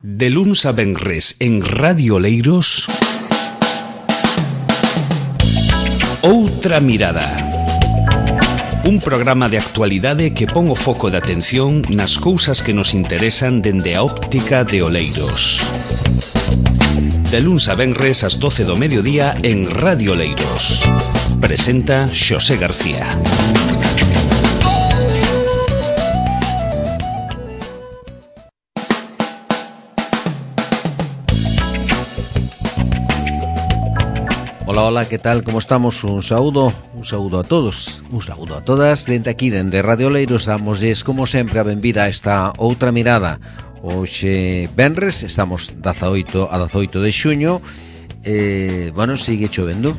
De luns a venres en Radio Oleiros, Outra Mirada. Un programa de actualidade que pon o foco de atención nas cousas que nos interesan dende a óptica de Oleiros. De luns a venres ás 12 do mediodía en Radio Oleiros. Presenta Xosé García. Hola, hola, ¿qué tal? ¿Cómo estamos? Un saúdo a todos, un saúdo a todas. Dende aquí, dende Radio Oleiros, damosles, como sempre, a benvida a esta outra mirada. Hoxe, venres, estamos 18 de xuño. Bueno, sigue chovendo.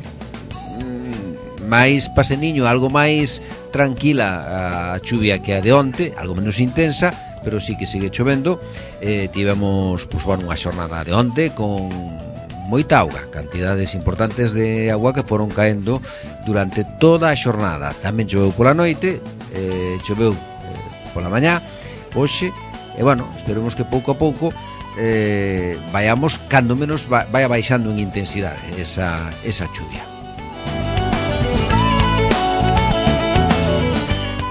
Mais paseniño, algo máis tranquila a chuvia que a de onte, algo menos intensa, pero sí que sigue chovendo. Tivemos, unha xornada de onte con moita auga, cantidades importantes de agua que foron caendo durante toda a xornada. Tamén choveu pola noite, choveu pola mañá, hoxe, e bueno, esperemos que pouco a pouco vayamos, cando menos vaya baixando en intensidade esa chuvia.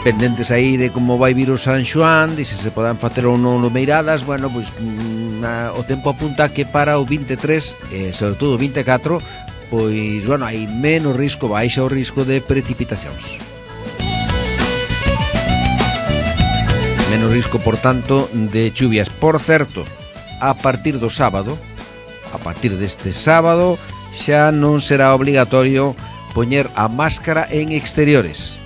Pendentes aí de como vai vir o San Xoán, de se podan facer ou non meiradas. Bueno, pois o tempo apunta que para o 23, sobre todo o 24, pois, bueno, hai menos risco, baixa o risco de precipitacións. Menos risco, por tanto, de chuvias. Por certo, a partir do sábado, a partir deste sábado, xa non será obligatorio poñer a máscara en exteriores.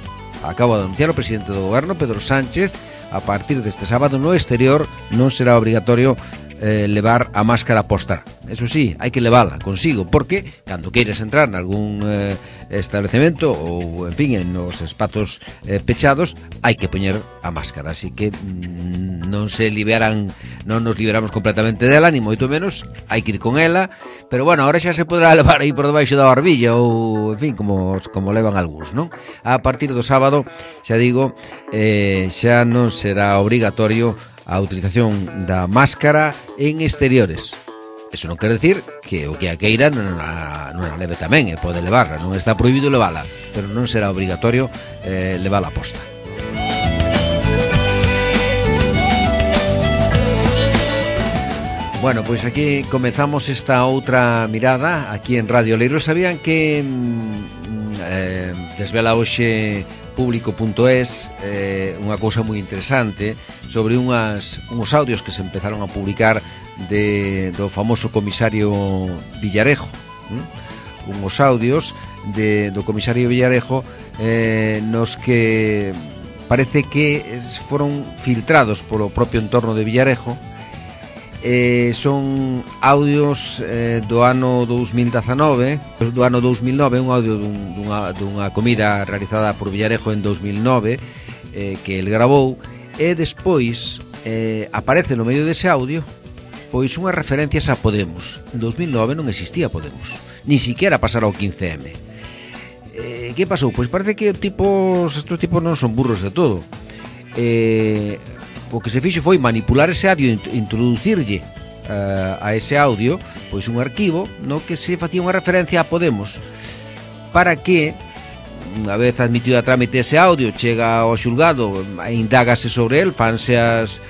Acabo de anunciar o presidente do goberno, Pedro Sánchez. A partir deste sábado no exterior non será obrigatorio levar a máscara posta. Eso sí, hai que levala consigo, porque cando queiras entrar en algún establecemento ou, en fin, en os espazos pechados, hai que poñer a máscara. Así que non nos liberamos completamente dela, ni moito menos, hai que ir con ela. Pero bueno, ahora xa se podrá levar aí por debaixo da barbilla ou, en fin, como levan algúns, non? A partir do sábado, xa digo, xa non será obrigatorio a utilización da máscara en exteriores. Eso non quere decir que o que a queira non a leve tamén, pode levarla, non está prohibido levala, pero non será obrigatorio levala posta. Bueno, pois aquí comezamos esta outra mirada aquí en Radio Oleiros. Sabían que desvela hoxe público.es unha cousa moi interesante sobre uns audios que se empezaron a publicar do famoso comisario Villarejo. Uns audios do comisario Villarejo nos que parece que foron filtrados polo propio entorno de Villarejo. Son audios do ano 2019, do ano 2009, un audio dunha comida realizada por Villarejo en 2009 que el grabou, e despois aparece no medio dese audio pois unhas referencias a Podemos. En 2009 non existía Podemos, ni siquiera pasara o 15M. Que pasou? Pois parece que estes tipos non son burros de todo. O que se fixo foi manipular ese audio, introducirlle a ese audio pois un arquivo no que se facía unha referencia a Podemos, para que, unha vez admitido a trámite ese audio, chega ao xulgado, indágase sobre el, fanse as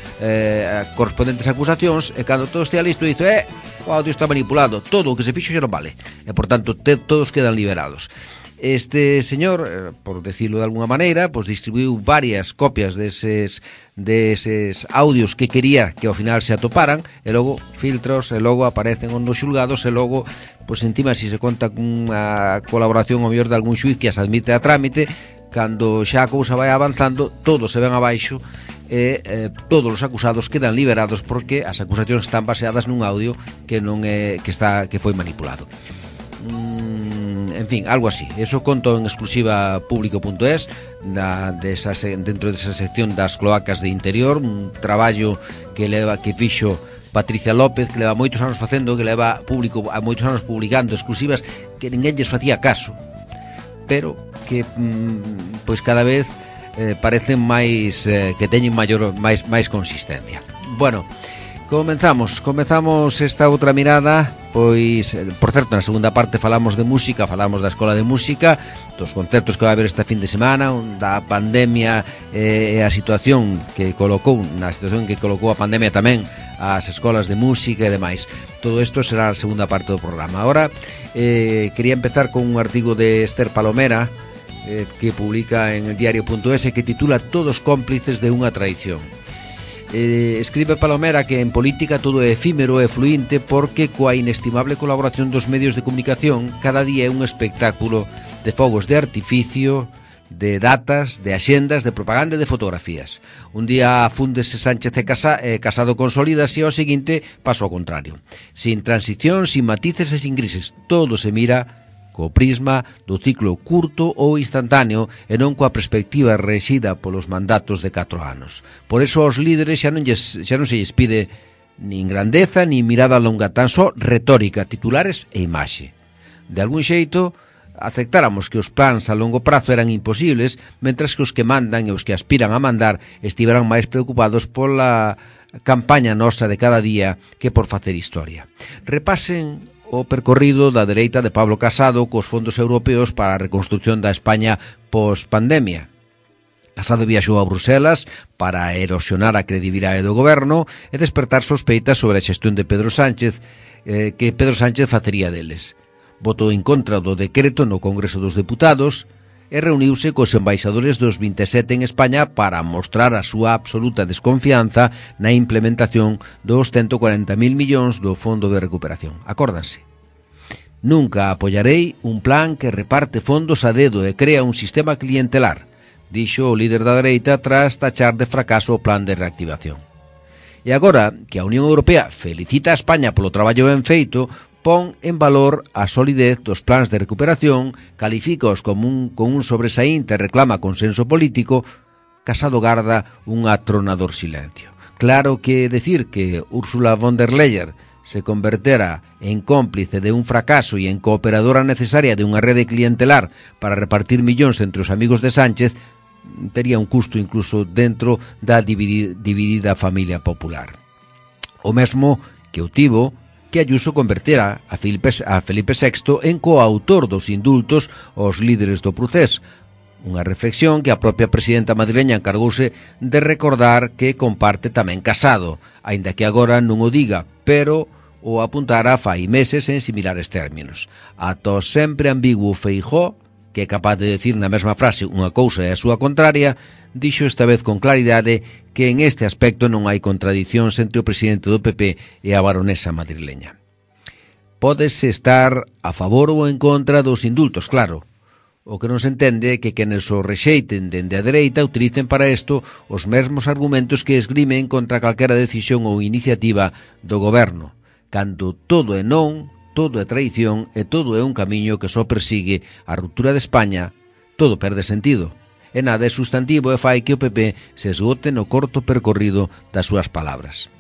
correspondentes acusacións, e cando todo estea listo dice o audio está manipulado, todo o que se fixo xa non vale, e por tanto todos quedan liberados. Este señor, por decirlo de alguna maneira, pois distribuiu varias copias deses audios que quería que ao final se atoparan, e logo filtros, e logo aparecen nos xulgados, e logo, pois encima, se conta cunha colaboración ao mellor de algún xuiz que as admite a trámite, cando xa a cousa vai avanzando, todos se ven abaixo, e todos os acusados quedan liberados porque as acusacións están baseadas nun audio que non que foi manipulado. En fin, algo así. Eso conto en exclusiva público.es, dentro desa sección das cloacas de interior, un traballo que fixo Patricia López, que leva moitos anos facendo, que leva moitos anos publicando exclusivas que ninguén lles facía caso, pero que pois cada vez parecen máis que teñen máis consistencia. Bueno, Comezamos esta outra mirada. Pois, por certo, na segunda parte falamos de música, falamos da Escola de Música, dos concertos que vai haber esta fin de semana, da pandemia e a situación que colocou, a pandemia tamén as escolas de música e demais. Todo isto será a segunda parte do programa. Ahora quería empezar con un artigo de Esther Palomera que publica en el diario.es que titula Todos cómplices de unha traición. Escribe Palomera que en política todo é efímero e fluinte porque coa inestimable colaboración dos medios de comunicación cada día é un espectáculo de fogos de artificio, de datas, de axendas, de propaganda e de fotografías. Un día fúndese Sánchez e Casado consolídase e ao seguinte paso ao contrario. Sin transición, sin matices e sin grises, todo se mira co prisma do ciclo curto ou instantáneo e non coa perspectiva rexida polos mandatos de 4 anos. Por eso aos líderes xa non se lles pide nin grandeza nin mirada longa, tan só retórica, titulares e imaxe. De algún xeito, aceptáramos que os plans a longo prazo eran imposibles, mentras que os que mandan e os que aspiran a mandar estiveran máis preocupados pola campaña nosa de cada día que por facer historia. Repasen o percorrido da dereita de Pablo Casado cos fondos europeos para a reconstrucción da España pos-pandemia. Casado viaxou a Bruselas para erosionar a credibilidade do goberno e despertar sospeitas sobre a xestión de Pedro Sánchez, que Pedro Sánchez facería deles. Votou en contra do decreto no Congreso dos Deputados e reuniuse cos embaixadores dos 27 en España para mostrar a súa absoluta desconfianza na implementación dos 140.000 millóns do Fondo de Recuperación. Acórdanse. Nunca apoyarei un plan que reparte fondos a dedo e crea un sistema clientelar, dixo o líder da dereita tras tachar de fracaso o plan de reactivación. E agora que a Unión Europea felicita a España polo traballo ben feito, pon en valor a solidez dos plans de recuperación, califícaos con un sobresaínte e reclama consenso político, Casado garda un atronador silencio. Claro que decir que Ursula von der Leyen se convertera en cómplice de un fracaso e en cooperadora necesaria de unha rede clientelar para repartir millóns entre os amigos de Sánchez tería un custo incluso dentro da dividida familia popular. O mesmo que o tivo que Ayuso convertera a Felipe VI en coautor dos indultos aos líderes do procés. Unha reflexión que a propia presidenta madrileña encargouse de recordar que comparte tamén Casado, aínda que agora non o diga, pero o apuntara fai meses en similares términos. Ata o sempre ambiguo Feijóo, que é capaz de decir na mesma frase unha cousa e a súa contraria, dixo esta vez con claridade que en este aspecto non hai contradicións entre o presidente do PP e a baronesa madrileña. Pódese estar a favor ou en contra dos indultos, claro. O que non se entende é que quenes o rexeiten dende a dereita utilicen para isto os mesmos argumentos que esgrimen contra calquera decisión ou iniciativa do goberno, cando todo é non, todo é traición e todo é un camiño que só persigue a ruptura de España, todo perde sentido. E nada é sustantivo e fai que o PP se esgote no corto percorrido das súas palabras.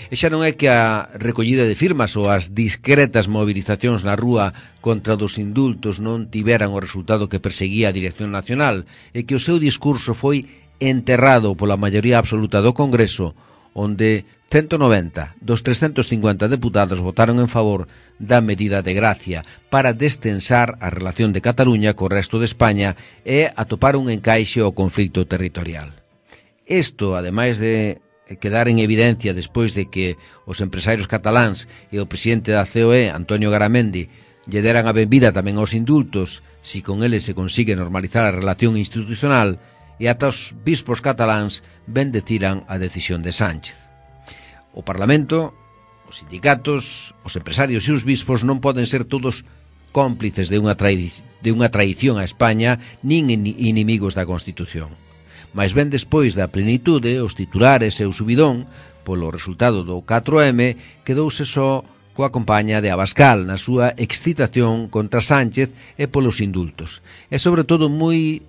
E xa non é que a recollida de firmas ou as discretas movilizacións na rúa contra dos indultos non tiveran o resultado que perseguía a Dirección Nacional e que o seu discurso foi enterrado pola maioría absoluta do Congreso, onde 190 dos 350 deputados votaron en favor da medida de gracia para destensar a relación de Cataluña co resto de España e atopar un encaixe ao conflito territorial. Isto, ademais de quedar en evidencia despois de que os empresarios cataláns e o presidente da COE, Antonio Garamendi, lle deran a benvida tamén aos indultos, si con eles se consigue normalizar a relación institucional, e ata os bispos cataláns bendeciran a decisión de Sánchez. O Parlamento, os sindicatos, os empresarios e os bispos non poden ser todos cómplices de unha traición a España nin inimigos da Constitución. Mais ben despois da plenitude, os titulares e o subidón, polo resultado do 4M, quedouse só coa compaña de Abascal na súa excitación contra Sánchez e polos indultos. E sobre todo moi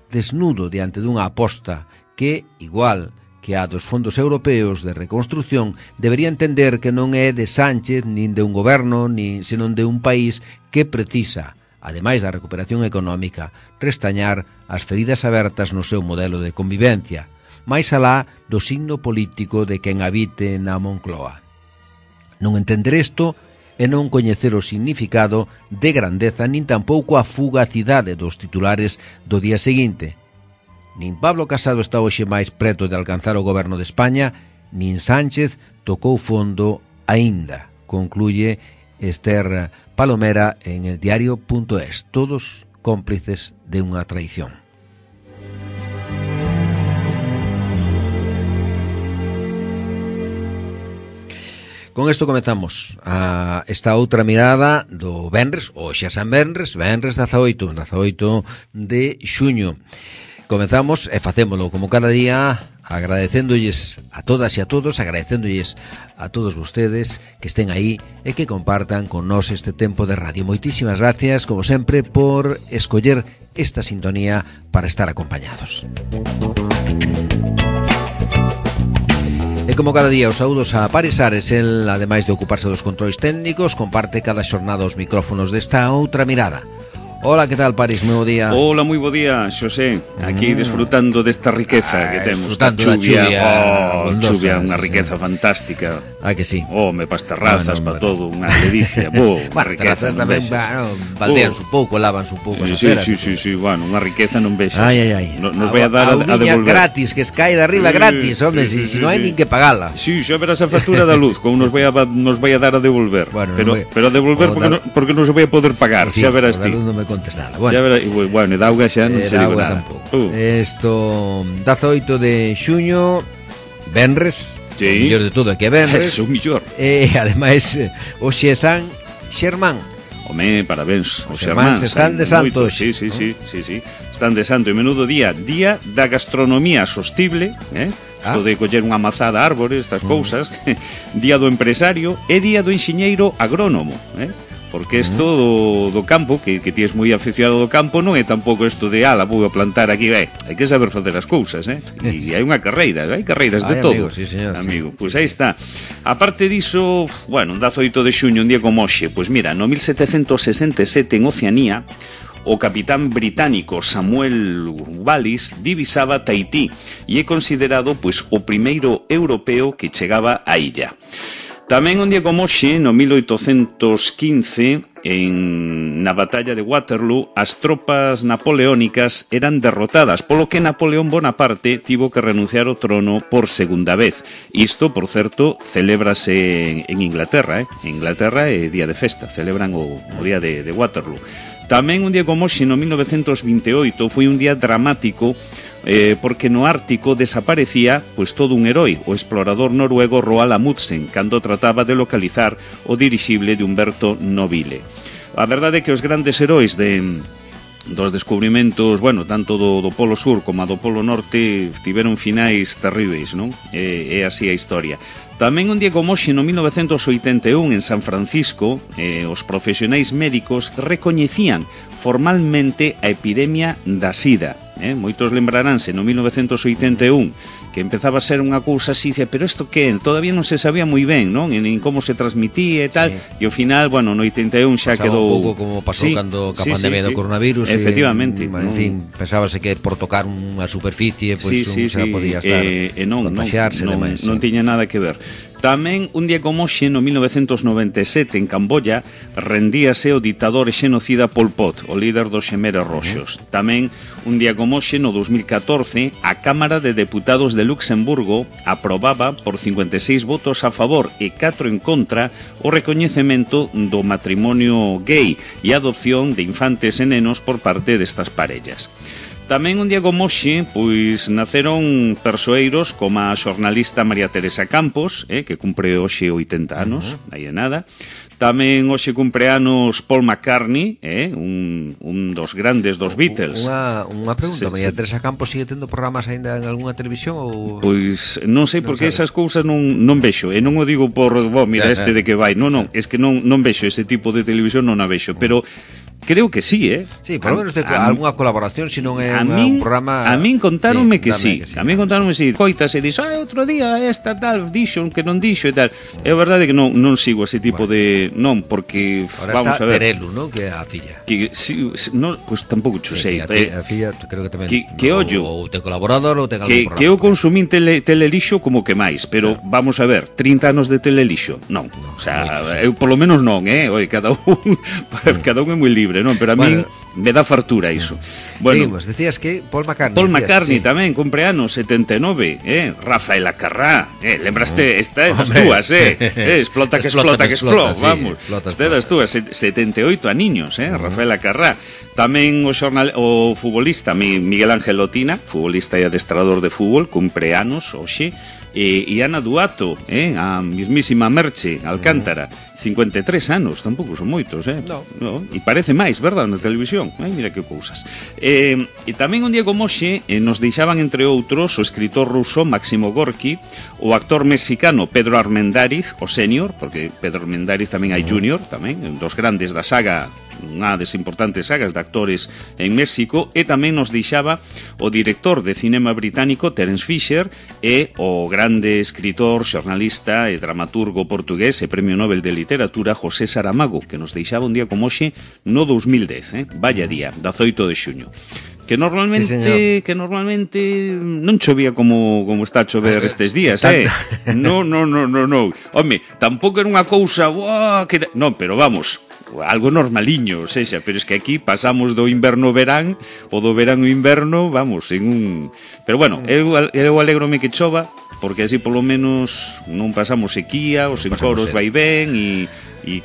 desnudo diante dunha aposta que, igual que a dos fondos europeos de reconstrucción, debería entender que non é de Sánchez nin de un goberno, senón de un país que precisa, ademais da recuperación económica, restañar as feridas abertas no seu modelo de convivencia, máis alá do signo político de quen habite na Moncloa. Non entender isto e non coñecer o significado de grandeza nin tampouco a fugacidade dos titulares do día seguinte. Nin Pablo Casado está hoxe máis preto de alcanzar o goberno de España, nin Sánchez tocou fondo aínda, concluye Esther Palomera en el diario.es. Todos cómplices de unha traición. Con isto comezamos esta outra mirada do venres, hoxe a San Venres, venres 18 de xuño. Comezamos e facémolo como cada día, agradecéndolles a todas e a todos, agradecéndolles a todos vostedes que estén aí e que compartan con nós este tempo de radio. Moitísimas gracias, como sempre, por escoller esta sintonía para estar acompañados. E como cada día os saúdos a Paris Ares, el, ademais de ocuparse dos controis técnicos, comparte cada xornada os micrófonos desta outra mirada. Hola, que tal, Paris? Moi bo día. Hola, moi bo día, Xosé. Aquí disfrutando desta riqueza que temos. Disfrutando da chuvia, unha riqueza fantástica. Que sí. Me pas terrazas, para todo, unha ledicia. Bueno, as terrazas tamén, baldeanse un pouco, lávanse un pouco as aceras. Sí, bueno, unha riqueza non vexas. Ai. Nos vai a dar a devolver. Gratis, que escae de arriba gratis, home, si non hai nin que pagala. Sí, xa verás a factura da luz, como nos vai a dar a devolver. Pero a devolver porque non se vai a poder pagar, xa verás ti. Nada. Bueno, e da auga xa non se digo nada. Isto 18 de xuño, venres, o mellor de todo é que é venres. O mellor. E ademais hoxe é San Xermán. Home, parabéns. Os Xermáns están de santo. Sí. Están de santo. E menudo día da gastronomía sostible, isto de coller unha mazada árbore, estas cousas. Día do empresario e día do enxeñeiro agrónomo, porque isto do campo, que ti és moi aficionado do campo, non é tampouco isto de vou a plantar aquí, hai que saber facer as cousas, e hai unha carreira, hai carreiras de todo. Sí, señor, amigo, pois aí está. A parte diso, bueno, 18 de xuño, un día como hoxe, pois mira, no 1767 en Oceanía, o capitán británico Samuel Wallis divisaba Tahití e é considerado pois o primeiro europeo que chegaba á illa. Tamén un día como hoxe, no 1815, na batalla de Waterloo, as tropas napoleónicas eran derrotadas, polo que Napoleón Bonaparte tivo que renunciar ao trono por segunda vez. Isto, por certo, celébrase en Inglaterra, En Inglaterra é día de festa, celebran o día de Waterloo. Tamén un día como hoxe, no 1928, foi un día dramático porque no Ártico desaparecía pois todo un heroi, o explorador noruego Roald Amundsen, cando trataba de localizar o dirixible de Umberto Nobile. A verdade é que os grandes heróis dos descubrimentos, bueno, tanto do Polo Sur como do Polo Norte tiveron finais terríveis, non? É así a historia. Tamén un día como hoxe, no 1981, en San Francisco, os profesionais médicos recoñecían formalmente a epidemia da sida. Moitos lembraránse no 1981 que empezaba a ser unha cousa así, pero isto que todavía non se sabía moi ben, non? En como se transmitía e tal, e ao final, bueno, no 81 xa quedou un pouco como pasou cando a pandemia do coronavirus, efectivamente, en fin, pensábase que por tocar unha superficie pois xa podía estar contagiarse, non tiña nada que ver. Tamén, un día como hoxe, no 1997, en Camboya, rendíase o ditador e xenocida Pol Pot, o líder dos Xemeres Roxos. Tamén, un día como hoxe, no 2014, a Cámara de Deputados de Luxemburgo aprobaba por 56 votos a favor e 4 en contra o recoñecemento do matrimonio gay e a adopción de infantes e nenos por parte destas parellas. Tamén un día como hoxe, pois naceron persoeiros como a xornalista María Teresa Campos, que cumpre hoxe 80 anos, aí é nada. Tamén hoxe cumpre anos Paul McCartney, un dos grandes dos Beatles. Unha pregunta, María Teresa Campos sigue tendo programas aínda en algunha televisión ou... Pois non sei, porque esas cousas non vexo, e non o digo por, mira, de que vai, non, es que non vexo ese tipo de televisión, non a vexo, pero Creo que sí, Sí, por lo menos algunha colaboración, se non é un programa... A min contáronme que sí. Que sí. A min contáronme que sí. Coitas e dixo, outro día esta tal dixo que non dixo e tal. É verdade que non sigo ese tipo de... Non, porque ahora vamos está a ver. Terelu, ¿no? Que é a filla. Que si, no, pues tampouco cho sei. A filla creo que tamén. Que ollo. Ou ten colaborador ou ten algún programa. Que eu consumín telelixo como que máis, pero vamos a ver, 30 anos de telelixo, non. O sea, eu polo menos non, Oi, cada un é moi libre, non, pero a min me dá fartura iso. Bueno, seguimos, decías que Paul McCartney tamén cumpre anos 79, Rafael Acarrá, lembraste, esta é das túas, explota que explota, vamos. Esta é das túas, 78 aniños, Rafael Acarrá. Tamén o futbolista Miguel Ángel Lotina, futbolista e adestrador de fútbol, cumpre anos hoxe. E Ana Duato, a mismísima Merche Alcántara, 53 anos, tampouco son moitos, No. E parece máis, verdad, na televisión. Mira que cousas. E tamén un día como hoxe nos deixaban, entre outros, o escritor ruso Máximo Gorki, o actor mexicano Pedro Armendáriz, o senior, porque Pedro Armendáriz tamén hai junior, tamén, dos grandes da saga, unha das importantes sagas de actores en México, e tamén nos deixaba o director de cinema británico Terence Fisher e o grande escritor, xornalista e dramaturgo portugués e premio Nobel de Literatura José Saramago, que nos deixaba un día como hoxe no 2010, vaya día, 18 de xuño. Que normalmente non chovía como está a chover estes días, No. Home, tampouco era unha cousa, non, pero vamos, algo normaliño, sexa, pero es que aquí pasamos do inverno ao verán, ou do verán ao inverno, vamos, en un... Pero bueno, eu alégrome que chova, porque así polo menos non pasamos sequía, os encoros vai ben e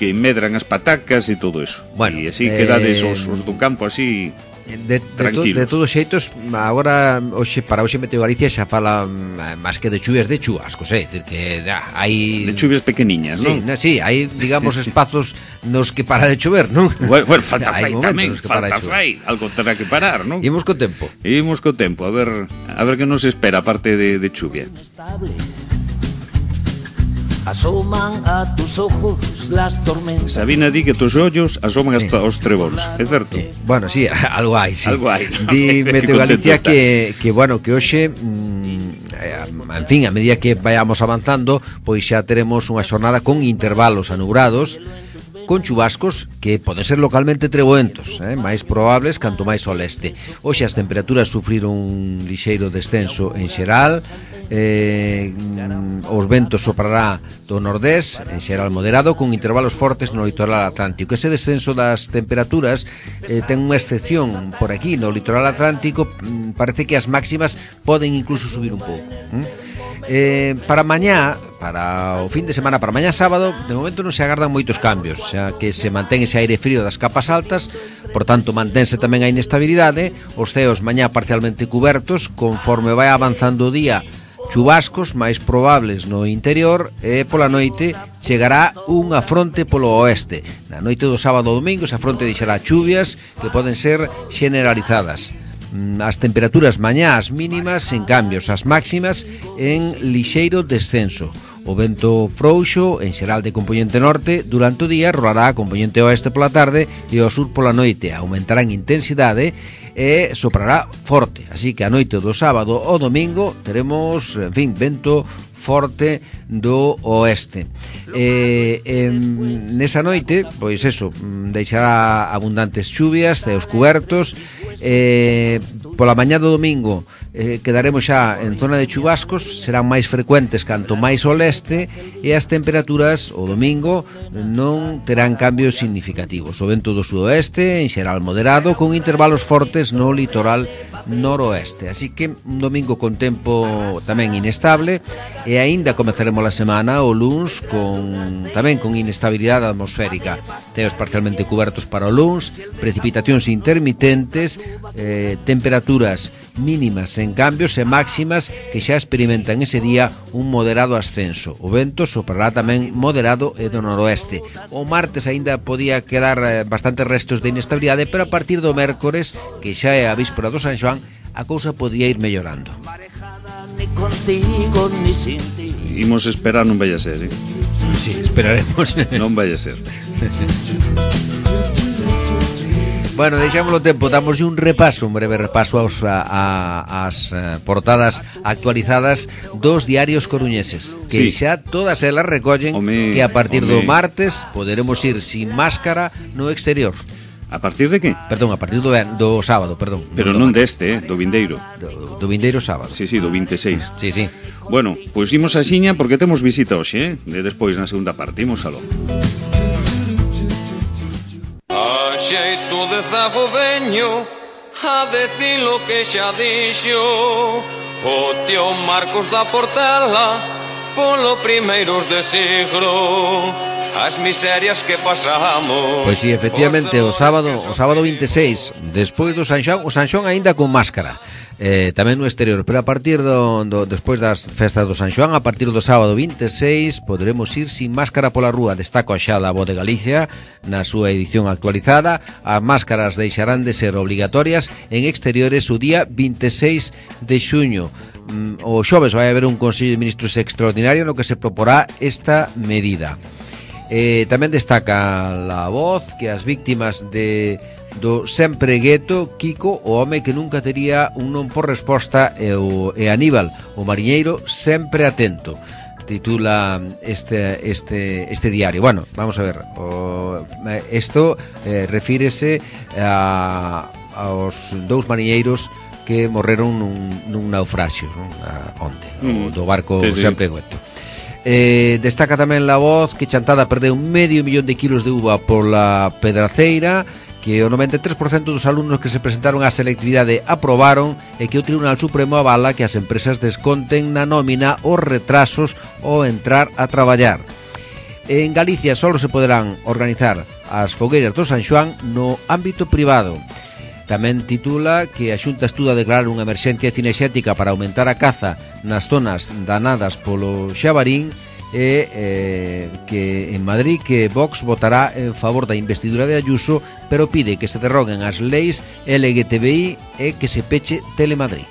que medran as patacas e todo eso. Bueno, e así quedades os do campo así... De todos xeitos, agora para hoxe Meteo Galicia xa fala máis que de chuvias, de chubascos, decir que hai de chuvias pequeniñas, non? Sí, hai, digamos, espazos nos que para de chover, non? Bueno, falta fai tamén, falta fai, algo terá que parar, non? Imos co tempo, a ver que nos espera aparte de chuvia. Asoman a tus ojos las tormentas. Sabina di que tus ollos asoman hasta os trebóns, é certo? Bueno, sí, algo hai, sí. Algo hai. Di Meteo Galicia que hoxe, en fin, a medida que vayamos avanzando, pois xa teremos unha xornada con intervalos anubrados, con chubascos que poden ser localmente treboentos, máis probables canto máis ao leste. Hoxe as temperaturas sufriron un lixeiro descenso en xeral, os ventos soprará do nordés, en xeral moderado, con intervalos fortes no litoral atlántico. Ese descenso das temperaturas ten unha excepción por aquí, no litoral atlántico. Parece que as máximas poden incluso subir un pouco. Para mañá, para o fin de semana, para mañá sábado, de momento non se agardan moitos cambios, xa que se mantén ese aire frío das capas altas, por tanto mantense tamén a inestabilidade, os ceos mañá parcialmente cubertos, conforme vai avanzando o día, chubascos máis probables no interior, e pola noite chegará unha fronte polo oeste. Na noite do sábado ao domingo esa fronte deixará chuvias que poden ser generalizadas. As temperaturas mañás mínimas en cambios, as máximas en lixeiro descenso. O vento frouxo en xeral de compoñente norte durante o día rolará a compoñente oeste pola tarde e ao sur pola noite. Aumentará en intensidade e soprará forte, así que a noite do sábado ao domingo teremos, en fin, vento forte do oeste. Nesa noite, pois eso, deixará abundantes chuvias e os cubertos. Pola mañá do domingo quedaremos xa en zona de chubascos, serán máis frecuentes canto máis ao leste, e as temperaturas o domingo non terán cambios significativos. O vento do sudoeste en xeral moderado, con intervalos fortes no litoral noroeste, así que un domingo con tempo tamén inestable, e aínda comezaremos a semana o luns tamén con inestabilidade atmosférica, ceos parcialmente cubertos para o luns, precipitacións intermitentes, temperaturas mínimas en cambios e máximas que xa experimentan ese día un moderado ascenso. O vento soprará tamén moderado e do noroeste. O martes aínda podía quedar bastantes restos de inestabilidade, pero a partir do mércores, que xa é a víspera do San Xoán, a cousa podía ir mellorando. Imos esperar, non vai a ser, Sí, esperaremos. Non vai a ser. Bueno, deixámoslo tempo, damos un breve repaso ás portadas actualizadas dos diarios coruñeses, que xa todas elas recollen que a partir do martes poderemos ir sin máscara no exterior. A partir de que? Perdón, a partir do sábado, perdón. Pero non deste, do vindeiro. Do vindeiro sábado. Sí, do 26. Sí. Bueno, pois imos a xiña porque temos visita hoxe, de despois na segunda parte, imos aló. A xeito de zago veño a decir lo que xa dixo o tío Marcos da Portela polo primeiros de siglo. As miserias que pasamos. Pois si, efectivamente, o sábado 26, despois do San Xoán, o San Xoán aínda con máscara, tamén no exterior, pero a partir despois das festas do San Xoán, a partir do sábado 26, poderemos ir sin máscara pola rúa. Destaca xa da Voz de Galicia na súa edición actualizada. As máscaras deixarán de ser obligatorias en exteriores o día 26 de xuño. O xoves vai haber un Consello de Ministros extraordinario no que se proporá esta medida. Tamén destaca La Voz que as víctimas do sempre gueto, Kiko, o home que nunca tería un non por resposta, e Aníbal, o mariñeiro sempre atento, titula este diario. Bueno, vamos a ver, isto refírese aos dous mariñeiros que morreron nun naufraxio, non? Onte, do barco sempre gueto. Destaca tamén La Voz que Chantada perdeu 500.000 de kilos de uva pola Pedraceira, que o 93% dos alumnos que se presentaron á selectividade aprobaron e que o Tribunal Supremo avala que as empresas desconten na nómina os retrasos ao entrar a traballar. En Galicia só se poderán organizar as fogueiras do San Xoán no ámbito privado. Tamén titula que a Xunta estuda declarar unha emerxencia cinexética para aumentar a caza nas zonas danadas polo xabarín e que en Madrid que Vox votará en favor da investidura de Ayuso, pero pide que se derroguen as leis LGTBI e que se peche Telemadrid.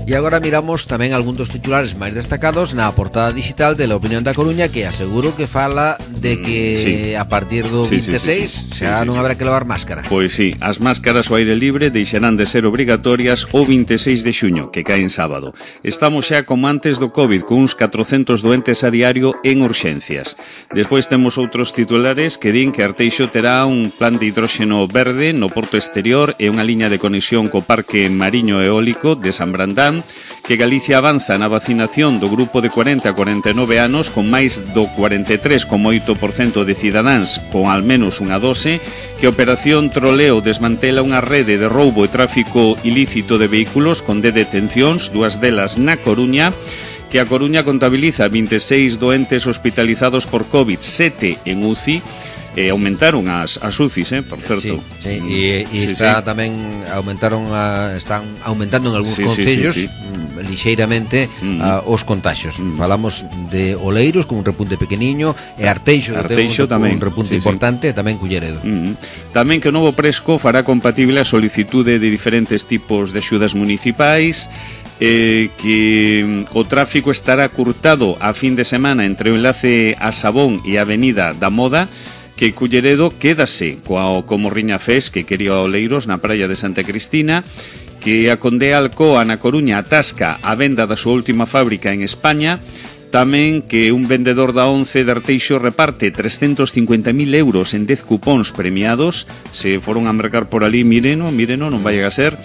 E agora miramos tamén algún dos titulares máis destacados na portada digital de La Opinión da Coruña, que aseguro que fala de que a partir do 26 xa non haberá que levar máscara. Pois sí, as máscaras ao aire libre deixarán de ser obrigatorias o 26 de xuño, que cae en sábado. Estamos xa como antes do COVID, con uns 400 doentes a diario en urxencias. Despois temos outros titulares que din que Arteixo terá un plan de hidróxeno verde no porto exterior e unha liña de conexión co Parque Mariño Eólico de San Brandán, que Galicia avanza na vacinación do grupo de 40 a 49 anos con máis do 43,8% de cidadáns con al menos unha dose, que a Operación Troleo desmantela unha rede de roubo e tráfico ilícito de vehículos con 10 detencións, 2 delas na Coruña, que a Coruña contabiliza 26 doentes hospitalizados por COVID, 7 en UCI, aumentaron as UCIs, por certo. Sí. E está tamén están aumentando en algúns concellos lixeiramente os contagios. Falamos de Oleiros con un repunte pequeniño e Arteixo tamén un repunte importante, e tamén Culleredo. Tamén que o novo Presco fará compatible a solicitude de diferentes tipos de axudas municipais, que o tráfico estará curtado a fin de semana entre o enlace a Sabón e a Avenida da Moda, que Culleredo quédase como Riña Fes, que quería Oleiros na praia de Santa Cristina, que a Condea Alcoa na Coruña atasca a venda da súa última fábrica en España, tamén que un vendedor da Once de Arteixo reparte 350.000 euros en 10 cupóns premiados. Se foron a mercar por ali, míreno, non vai a ser.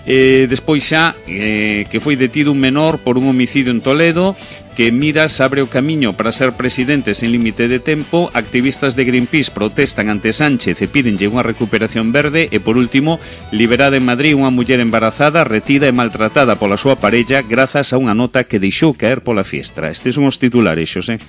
Despois xa que foi detido un menor por un homicidio en Toledo, que Miras abre o camiño para ser presidentes en límite de tempo. Activistas de Greenpeace protestan ante Sánchez e pídenlle unha recuperación verde. E por último, liberada en Madrid unha muller embarazada, retida e maltratada pola súa parella grazas a unha nota que deixou caer pola fiestra. Estes son os titulares, Xosé.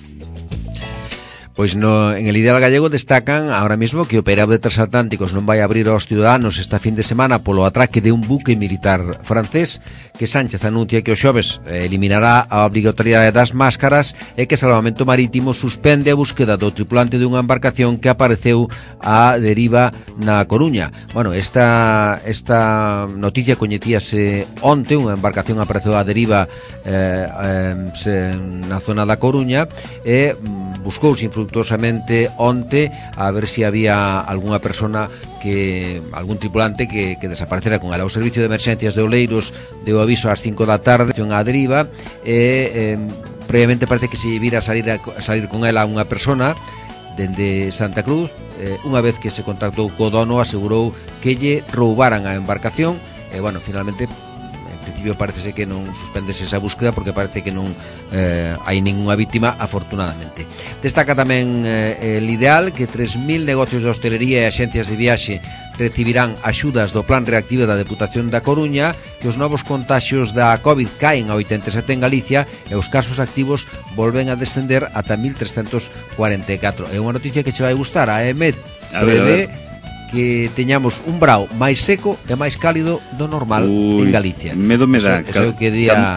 Pois en el Ideal Gallego destacan ahora mismo que o operado de transatlánticos non vai abrir aos ciudadanos esta fin de semana polo atraque de un buque militar francés, que Sánchez anuncia que o xoves eliminará a obrigatoriedade das máscaras e que Salvamento Marítimo suspende a búsqueda do tripulante dunha embarcación que apareceu á deriva na Coruña. Bueno, esta noticia coñecíase onte, unha embarcación apareceu á deriva na zona da Coruña e buscouse infructuosamente onte a ver se había algunha persona algún tripulante que desaparecera con ela. O servicio de emerxencias de Oleiros deu aviso ás 5 da tarde a deriva e previamente parece que se vira a salir con ela unha persona dende Santa Cruz. Unha vez que se contactou co dono, asegurou que lle roubaran a embarcación e, bueno, finalmente en principio parece que non suspendese esa búsqueda porque parece que non hai ninguna víctima, afortunadamente. Destaca tamén el Ideal que 3.000 negocios de hostelería e axencias de viaxe recibirán axudas do Plan Reactivo da Deputación da Coruña, que os novos contaxios da COVID caen a 87 en Galicia e os casos activos volven a descender ata 1.344. É unha noticia que che vai gustar. A EMET prevé que teñamos un brao máis seco e máis cálido do normal en Galicia. Medo me dá.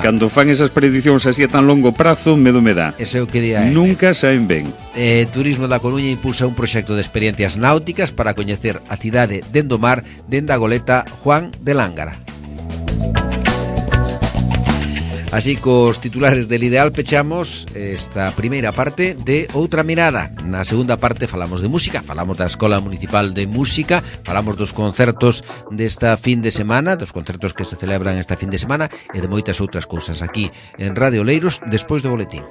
Cando fan esas prediccións así a tan longo prazo, medo me dá. Ese é o que día. Nunca saen ben. Turismo da Coruña impulsa un proxecto de experiencias náuticas para coñecer a cidade dende o mar, dende a goleta Juan de Lángara. Así cos titulares del Ideal pechamos esta primeira parte de Outra Mirada. Na segunda parte falamos de música, falamos da Escola Municipal de Música, falamos dos concertos desta fin de semana, dos concertos que se celebran esta fin de semana e de moitas outras cousas aquí en Radio Oleiros despois do boletín.